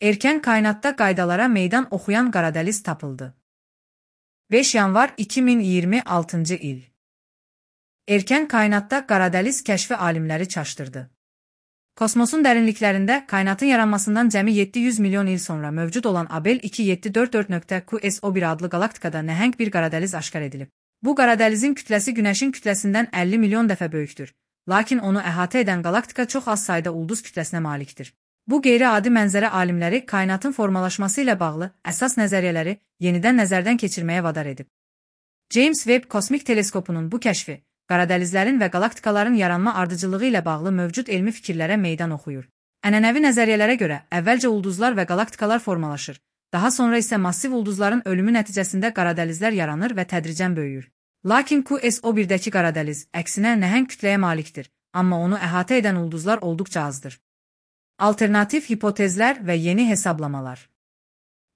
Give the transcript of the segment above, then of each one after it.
Erkən kainatda qaydalara meydan oxuyan qaradəliz tapıldı. 5 yanvar 2026-cı il. Erkən kainatda qaradəliz kəşfi alimləri çaşdırdı. Kosmosun dərinliklərində kainatın yaranmasından cəmi 700 milyon il sonra mövcud olan Abel 2744.QSO1 adlı qalaktikada nəhəng bir qaradəliz aşkar edilib. Bu qaradəlizin kütləsi Günəşin kütləsindən 50 milyon dəfə böyükdür, lakin onu əhatə edən qalaktika çox az sayda ulduz kütləsinə malikdir. Bu qeyri-adi mənzərə alimləri kainatın formalaşması ilə bağlı əsas nəzəriyyələri yenidən nəzərdən keçirməyə vadar edib. James Webb kosmik teleskopunun bu kəşfi, qaradəlizlərin və qalaktikaların yaranma ardıcıllığı ilə bağlı mövcud elmi fikirlərə meydan oxuyur. Ənənəvi nəzəriyyələrə görə əvvəlcə ulduzlar və qalaktikalar formalaşır, daha sonra isə massiv ulduzların ölümü nəticəsində qaradəlizlər yaranır və tədricən böyüyür. Lakin QSO1-dəki qaradəliz əksinə nəhəng kütləyə malikdir, amma onu əhatə edən ulduzlar olduqca azdır. Alternativ hipotezlər və yeni hesablamalar.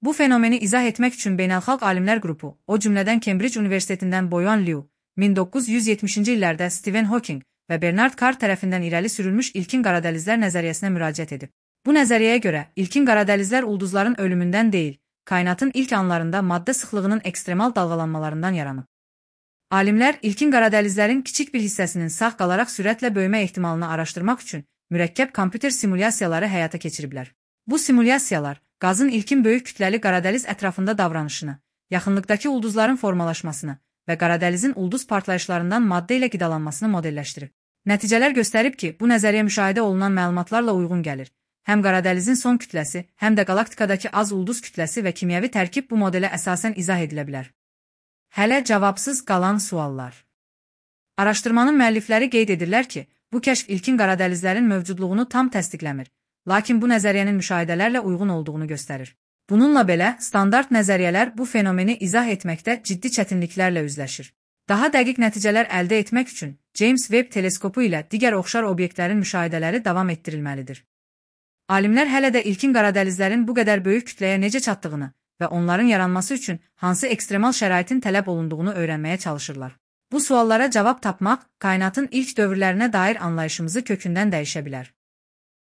Bu fenomeni izah etmək üçün beynəlxalq alimlər qrupu, o cümlədən Cambridge Universitetindən Boyan Liu, 1970-ci illərdə Stephen Hawking və Bernard Carr tərəfindən irəli sürülmüş ilkin qaradəlizlər nəzəriyyəsinə müraciət edib. Bu nəzəriyyəyə görə ilkin qaradəlizlər ulduzların ölümündən deyil, kainatın ilk anlarında maddə sıxlığının ekstremal dalğalanmalarından yaranıb. Alimlər ilkin qaradəlizlərin kiçik bir hissəsinin sağ qalaraq sürətlə böyümə ehtimalını araşdırmaq üçün mürəkkəb kompüter simulyasiyaları həyata keçiriblər. Bu simulyasiyalar qazın ilkin böyük kütləli qaradəliz ətrafında davranışını, yaxınlıqdakı ulduzların formalaşmasını və qaradəlizin ulduz partlayışlarından maddə ilə qidalanmasını modelləşdirib. Nəticələr göstərib ki, bu nəzəriyyə müşahidə olunan məlumatlarla uyğun gəlir. Həm qaradəlizin son kütləsi, həm də qalaktikadakı az ulduz kütləsi və kimyəvi tərkib bu modelə əsasən izah edilə bilər. Hələ cavabsız qalan suallar. Araşdırmanın müəllifləri qeyd edirlər ki, bu kəşf ilkin qaradəlizlərin mövcudluğunu tam təsdiqləmir, lakin bu nəzəriyyənin müşahidələrlə uyğun olduğunu göstərir. Bununla belə, standart nəzəriyyələr bu fenomeni izah etməkdə ciddi çətinliklərlə üzləşir. Daha dəqiq nəticələr əldə etmək üçün James Webb teleskopu ilə digər oxşar obyektlərin müşahidələri davam etdirilməlidir. Alimlər hələ də ilkin qaradəlizlərin bu qədər böyük kütləyə necə çatdığını və onların yaranması üçün hansı ekstremal şəraitin tələb olunduğunu öyrənməyə çalışırlar. Bu suallara cavab tapmaq kainatın ilk dövrlərinə dair anlayışımızı kökündən dəyişə bilər.